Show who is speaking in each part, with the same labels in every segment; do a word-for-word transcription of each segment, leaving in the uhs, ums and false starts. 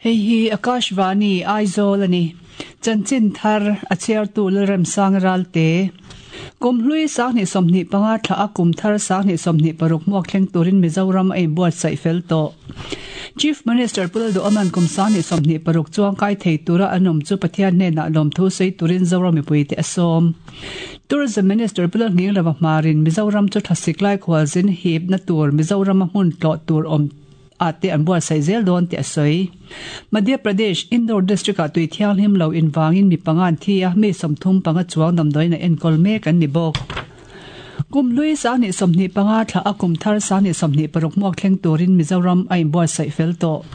Speaker 1: Hei hi Akashvani Aizawl ani. Chanchin thar a chhiartu Lalremsang Ralte. Kum hlui sanghnih sawmhnih panga thla a kum thar sanghnih sawmhnih paruk hmuak thleng turin Mizoram a inbuatsaih fel tawh. Chief Minister Pu Lalduhoma'n kum sanghnih sawmhnih paruk chuang kai thei tura an awm chu Pathian hnenah lawmthu sawi turin Zoram mipuite a sawm. Tourism Minister Pu Lalnghinglova hmarin Mizoram chu thlasik lai khualzin hipna tur Mizorama hmun tlawh tur awm ate an buatsaih zel dawn tih a sawi. Madhya Pradesh, Indore district ah tui thianghlim lo invangin mi panga an thi a, mi sawmthum panga chuang damdawiin a enkawl mek an ni bawk. Kum hlui sanghnih sawmhnih panga thla a kum thar sanghnih sawmhnih paruk hmuak thleng turin Mizoram a inbuatsaih fel tawh.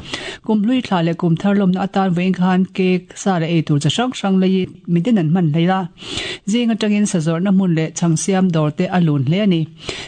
Speaker 1: Kum hlui thla leh kum thar lawmna atan vawiin khan cake, sa leh ei tur chi hrang hrang leiin midin an hman hlei a. Zing atangin sazawrhna hmun leh chhang siam dawr te a lun hle a ni.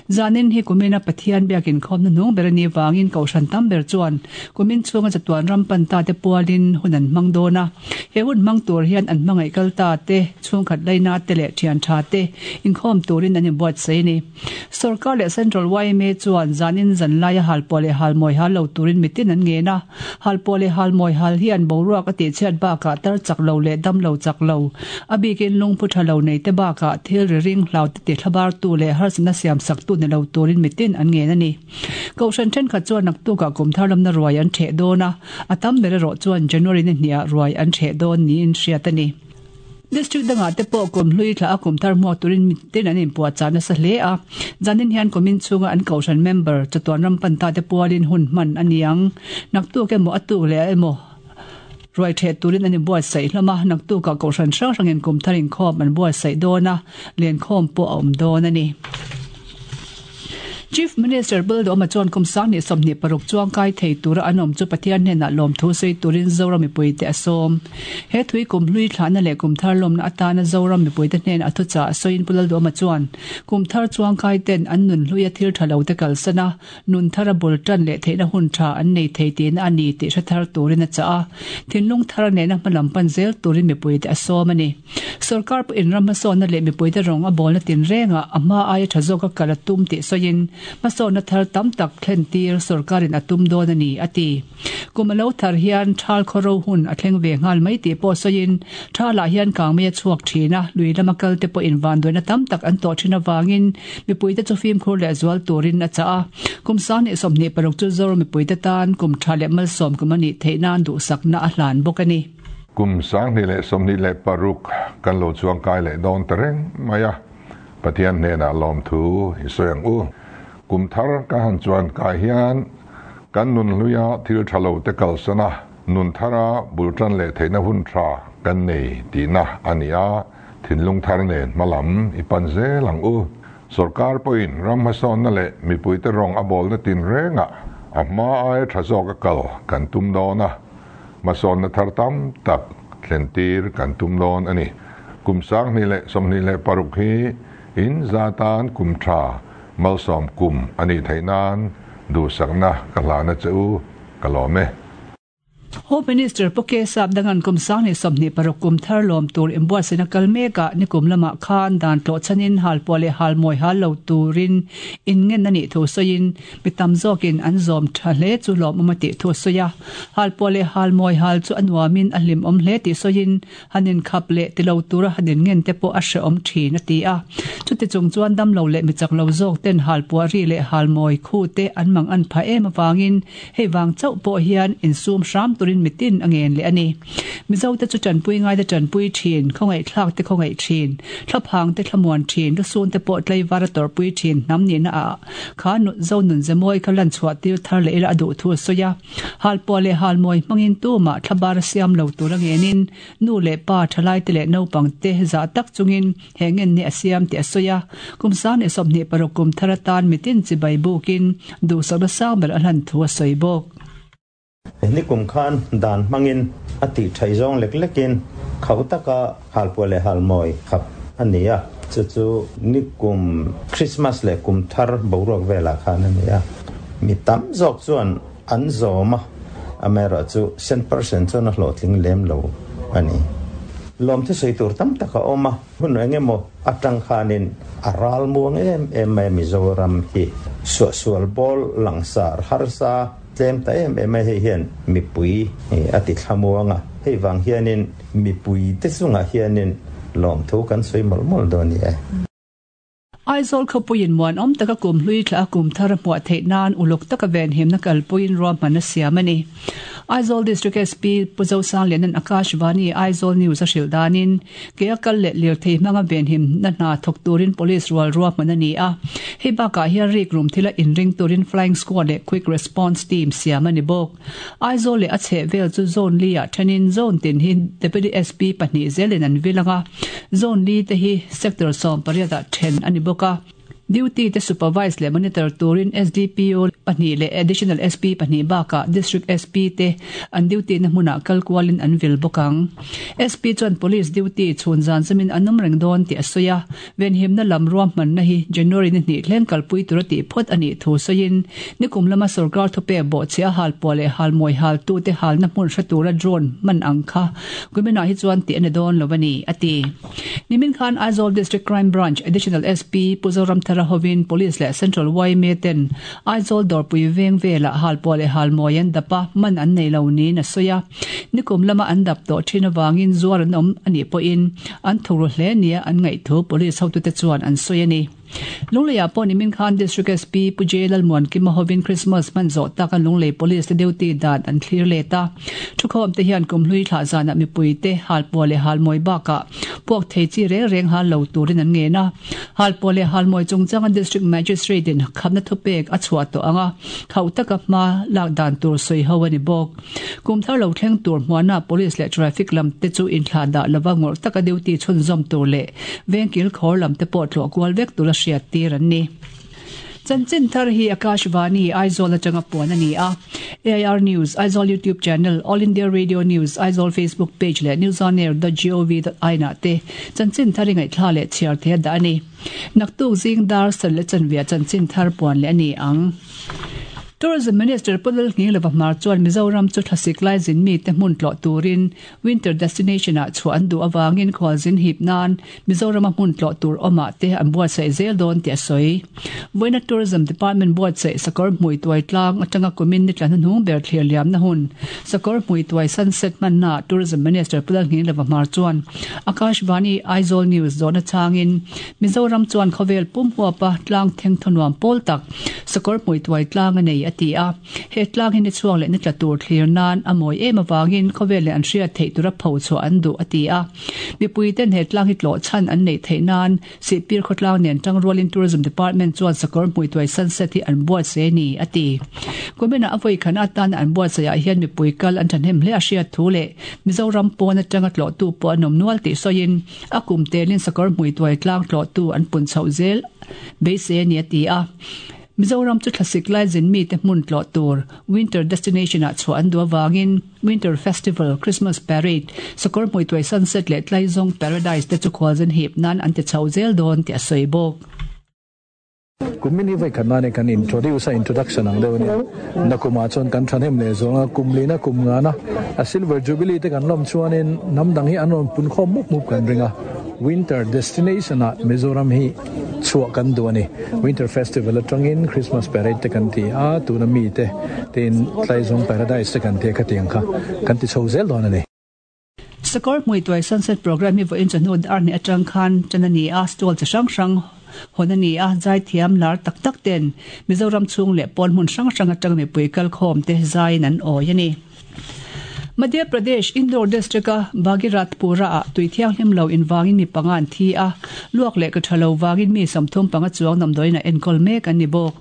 Speaker 1: Zanin hi kumina Pathian biakin khawmna hnung ber a nih vangin Kohhran tam ber chuan kumin chhunga chatuan ram pan ta te pualin hun an hmang dawn a. He hun hmang tur hian an hmangaih kal ta te, chhungkhat laina te leh thian tha te inkhawm turin an inbuatsaih a ni. Sorkar leh Central yma chuan zanin zan laia halpuah leh halmawi hal lo turin mitin an ngen a. Halpuah leh halmawi hal hian boruak a tihchhiat bakah tar chak lo leh dam lo chak lo, a bikin lungphu tha lo nei te bakah thil ri ring hlau te ti thlabartu leh harsatna siam saktu ni lo turin mitin an ngen a ni. Kohhran thenkhat chuan naktukah kum thar lamna ruai an theh dawn a, a tam ber erawh chuan January ni hniah ruai an theh dawn niin hriat a ni. District dangah te pawh kum hlui thla a kum thar hmuak turin mitin an inpuahchah nasa hle a. Zanin hian kumin chhunga an kohhran member chatuan ram pan ta te pualin hun hman a ni ang. Naktuk emaw a tuk leh emaw ruai theh turin an inbuatsaih hlawm a, naktukah kohhran hrang hrangin kum thar inkhawm an buatsaih dawn a, lenkhawm pawh a awm dawn a ni. Chief Minister Pu Lalduhoma chuan kum sanghnih sawmhnih paruk chuang kai thei tura an awm chu Pathian hnenah lawmthu sawi turin Zoram mipuite a sawm. He thui kum hlui thlahna leh kum thar lawmna atana Zoram mipuite hnenah a thuchah a sawiin Pu Lalduhoma chuan kum thar chuang kai ten an nun hluia thil tha lo te kalsan a, nun thara bul tan leh theihna hun tha an nei thei tihna a ni tih hre thar turin a chah a. Thinlung thar nena hmalam pan zel turin mipuite a sawm a ni. Sorkar pawhin ram hmasawnna leh mipuite rawng a bawlna tinrengah a hma aia tha zawka kal a tum tih sawiin hmasawnna thar tam tak thlen tir sorkarin a tum dawn a ni, a ti. Kum a lo thar hian thal khawro hun a thleng ve nghal mai tih pawh sawiin thalah hian kangmei a chhuak thin a, lui lama kalte pawhin vanduaina tam tak an tawh thin avangin mipuite chu fimkhur leh zual turin a chah a. Kum sanghnih sawmhnih paruk chu Zoram mipuite tan kum tha leh malsawm kum a nih theih nan duhsakna a hlan bawk a ni.
Speaker 2: Kum sanghnih leh sawmhnih leh paruk kan lo chuang kai leh dawn ta reng mai a, Pathian hnenah lawmthu i sawi ang u. Kum thar ka han chuan kai hian kan nun hluia thil tha lo te kalsan a, nun thara bul tan leh theihna hun tha kan nei tihna a ni a, thinlung thar nen hmalam i pan zel ang u. Sorkar pawhin ram hmasawnna leh mipuite rawng a bawlna tinrengah a hma aia tha zawk a kal kan tum dawn a, hmasawnna thar tam tak thlen tir kan tum dawn a ni. Kum sanghnih leh sawmhnih leh paruk hi in za tan kum tha malsawm kum a nih theih nan duhsakna ka hlana che u, ka lawm e.
Speaker 1: Home Minister Pu K Sap dangan kum sanghnih sawmhnih paruk kum thar lawm tur inbuatsaihna kal mekah nikum lamah khan dan tlawh chhanin halpuah leh halmawi hal lo turin inngen a nih thu sawiin mi tam zawkin an zawm tha hle chu lawmawm a tih thu a sawi a. Halpuah leh halmawi hal chu a nuamin a hlimawm hle tih sawiin han inkhap leh ti lo tura han inngen te pawh a hrehawm thin a ti a. Chuti chung chuan damlo leh mi chak lo zawk ten halpuah ri leh halmawi khu te an mang an pha em avangin hei vang chauh pawh hian insum hram turin mitin a ngen leh a ni. Mizote chu tanpui ngaite tanpui thin, khawngaihthlak te khawngaih thin, thlaphang te thlamuan thin, lusun te pawh tlaivar a tawrhpui thin hnam nihna ah kha zo nun zemawi kha lan chhuah tir thar leh ila a duh thu a sawi a. Halpuah leh halmawi hmangin tumah thlabar a siam lo tur a ngenin nu leh pa thalai te leh naupang te zah tak chungin he ngen ni a siam tih a sawi a. Kum sanghnih sawmhnih paruk kum thar atan mitin chibai bukin duhsakna sang ber a hlan thu a sawi bawk.
Speaker 3: Ni kum khan dan hmangin a tih thaih zawng lek lekin khauh taka halpuah leh halmawi khap a ni a, chu chu ni kum Christmas leh kum thar boruak velah khan a ni a. Mi tam zawk chuan an zawm a, amaherawhchu cent percent chuan a hlawhtling lem lo a ni. Lawmthu sawi tur tam tak a awm a, hun eng emaw atang khanin a ral muang em em mai a Mizoram hi. Suahsual bawl langsar harsa tlem ta em em hei hian mipui a ti thlamuanga hei wang hianin mipui te chunga hianin lawm thu kan soi mol mol do ni e.
Speaker 1: Aizawl khawpuiin muan awm taka kum hlui thla a kum thar a hmuah theih nan uluk taka ven himna kalpuiin ruahman a siam a ni. Aizawl District S P Pu Zosanglianan Akashvani Aizawl News a hrilh danin ke a kal leh lirthei hmanga ven himna hna thawk turin police rual ruahman a ni a. Hei bakah hian rik rum thila inring turin flying squad leh quick response team siam a ni bawk. Aizawl leh a chheh vel chu zone li ah thenin zone tin hi Deputy S P pahnih zelin an vil anga. Zone li te hi sector sawm pariat ah then a ni bawk. Duty te supervise leh monitor turin S D P O pahnih leh additional S P pahnih bakah district S P te an duty na hmunah kalkualin an vil bawk ang. S P chuan police duty chhun zan zamin an awm reng dawn tih a sawi a. Venhimna lam ruahmanna hi January ni hnih thleng kalpui tura tih phawt a nih thu sawiin nikum lama sarkar thupe bawhchhe a hal pawh leh hal mawi hal tu te halna hmun hre tura drone man ang kha kuminah hi chuan tih a ni dawn lo a ni a ti. Nimin khan Aizawl District Crime Branch Additional S P Pu Zoramthara hovin police leh Central Y M A ten Aizawl Dawrpui veng velah hal pawh leh hal mawi an dap a man an nei lo niin a sawi a. Nikum lama an dap tawh thin awangin zuar an awm a nih pawhin an thuru hle nia an ngaih thu police hotute chuan an sawi a ni. Lungleiah pawh nimin khan District S P Pu J Lalmuan Kima hovin Christmas man zawh tak an Lunglei Police te duty dan an thlir let a. Thukhawm te hian kum hlui thlah zanah mipui te hal pawh leh hal mawi bakah puak thei chi reng reng hal lo turin an ngen a. Hal pawh leh hal mawi chungchang District Magistrate in khamna thupek a chhuah tawh anga khauh taka hma lak dan tur sawi ho a ni bawk. Kum thar lo thleng tur hmuana police leh traffic lam te chu inthlah dah lova ngawrh taka duty chhunzawm tur leh vengkil khawr lam te pawh tlawh kual vek tur a hriat tir an ni. Chanchin thar hi Akashvani Aizawl atanga puan a ni a. A I R News, Aizawl YouTube channel, All India Radio News, Aizawl Facebook page leh newsonair dot gov dot in ah te chanchin thar i ngaihthla leh chhiar the dah a ni. Naktuk zing dar sal leh chanvia chanchin thar puan leh a ni ang. Tourism Minister Pu Lalnghinglova Hmar chuan Mizoram chu thlasik lai zin mi te hmun tlawh turin winter destination ah chhuah an duh awangin khualzin hip nan Mizoram a hmun tlawh tur awmah te an buatsaih zel dawn tih a sawi. Vawiina Tourism Department buatsaih sakawr hmui tuai tlang atanga kumin ni tla hnuhnung ber thlir liamna hun sakawr hmui tuai sunset hmanna Tourism Minister Pu Lalnghinglova Hmar chuan Akashvani Aizawl News zawhna changin Mizoram chuan khawvel pum huapa tlang theng thanuam pawl tak sakawr hmui tuai tlang a nei a ti a. He tlang hi ni chhuak leh ni tla tur thlir nan a mawi em awangin khawvel leh an hriat theih tura pho chhuah an duh a ti a. Mipui ten he tlang hi tlawh chhan an neih theih nan sihpir khawtlang nen tangrualin Tourism Department chuan sakawr hmui tuai sunset hi an buatsaih ni a ti. Kuminah a vawi khan atan an buatsaihah hian mipui kal an thahnem hle a hriat thu leh Mizoram pawn atanga tlawh tu pawh an awm nual tih sawiin a kum telin sakawr hmui tuai tlang tlawh tu an pun chhoh zel beisei a ni a ti a. Mizoram chu thlasik lai zin mi te hmun tlawh tur winter destination ah chhuah an duh awangin Winter Festival, Christmas Parade, sakawr hmui tuai sunset leh tlaizawng paradise te chu khualzin hip nan an ti chho zel dawn tih a sawi bawk.
Speaker 4: Kumin hi vai khat nane kan introduce a introduction ang deuh ania. Nakuma chuan kan thanem leh zawnga kum lina kum nga na a silver jubilee te kan lawm chuanin hnam dang hi an rawn pun khawm mup mup kan ring a. Winter destination ah Mizoram hi chhuah kan duh a ni. Winter Festival atangin Christmas Parade te kan ti a, tuna mi te tein tlaizawng paradise te kan ti a khatiang kha kan ti chho zel dawn a ni.
Speaker 1: Sakawr hmui tuai sunset program hi vawiin chawhnu dar hnih atang khan tan a ni a, stall chi hrang hrang hon a ni a, zai thiam lar tak tak ten Mizoram chhung leh pawn hmun hrang hrang atang mipui kal khawm te zaiin an awi a ni. Madhya Pradesh Indore district a Bhagirathpura ah tui thianghlim lo inwangin mi panga an thi a, luak leh ka thalo wangin mi samthum panga chuang namdoin a enkol mek an ni bawk.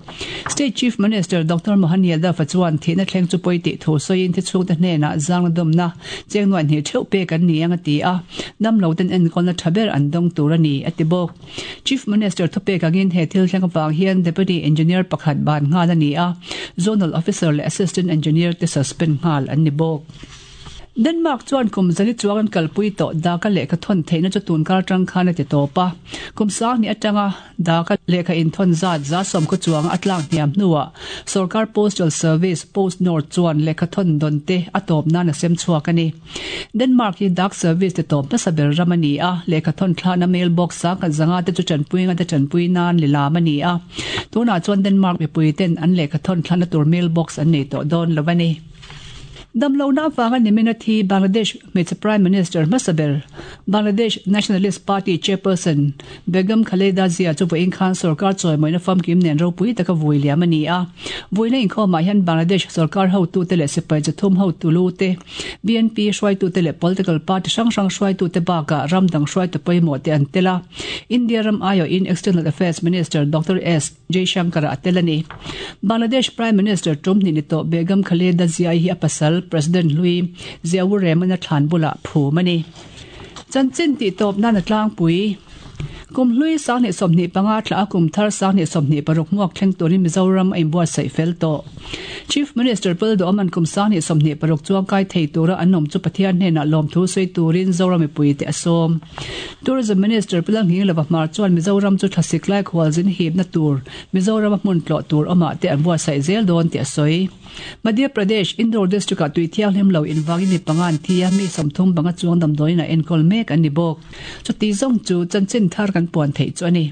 Speaker 1: State Chief Minister Doctor Mohan Yadav chuan thihna thleng chu pawi tih thu sawiin thi chhung te hnenah zangna dawmna chengnuan hnih theuh pek an ni ang a ti a, dam lo ten enkawlna tha ber an dawng tur a ni a ti bawk. Chief Minister thupek angin he thil thleng awang hian Deputy Engineer pakhat ban nghal a ni a, Zonal Officer leh Assistant Engineer te suspend nghal an ni bawk. Denmark chuan kum zali chuang an kalpui tawh daka lehkha thawn theihna chu tun kar atang khan a ti tawp a. Kum sang hnih atanga daka lehkha inthawn zat za sawm khaw chuang a tlak hniam hnuah Sorkar Postal Service PostNord chuan lehkha thawn dawn te a tawp nan a sem chhuak a ni. Denmark hi dak service ti tawp nasa ber ram a ni a, lehkha thawn thlahna mailbox sang khat zanga te chu tanpui nga te tanpui nan lilam a ni a. Tunah chuan Denmark mipui ten an lehkha thawn thlahna tur mailbox an nei tawh dawn lo a ni. Damlohna avanga nimin a thi Bangladesh hmeichhe Prime Minister hmasa ber, Bangladesh Nationalist Party Chairperson Begum Khaleda Zia chu vawiin khan sorkar chawimawina famkim nen ropui taka vui liam a ni a. Vuina inkhawmah hian Bangladesh sorkar hotute leh sipai chathum hotu lu te, B N P hruaitute leh political party hrang hrang hruaitute bakah ram dang hruaitu pawimawh te an tel a. India ram aiawhin External Affairs Minister Doctor S Jaishankar a tel a ni. Bangladesh Prime Minister tum hnih ni tawh Begum Khaleda Zia hi a pasal President Hlui Ziaur Rehman a thlan bulah phum a ni. Chanchin tih tawp nan a tlangpui. Kum hlui sanghnih sawmhnih panga thla a kum thar sanghnih sawmhnih paruk hmuak thleng turin Mizoram a inbuatsaih fel tawh. Chief Minister Pal Duhawman kum sanghnih sawmhnih paruk chuang kai thei tura an awm chu Pathian hnenah lawmthu sawi turin Zoram mipui te a sawm. Tourism Minister Pu Langhing Lova Hmar chuan Mizoram chu thlasik lai khualzin hipna tur Mizoram a hmun tlawh tur awmah te an buatsaih zel dawn tih a sawi. Madhya Pradesh, Indore district-ah tui thianghlim lo invangin mi panga an thi a, mi sawmthum banga chuang damdawiin a enkawl mek an ni bawk. Chuti zawng chu chanchin thar kan puan theih chu a ni.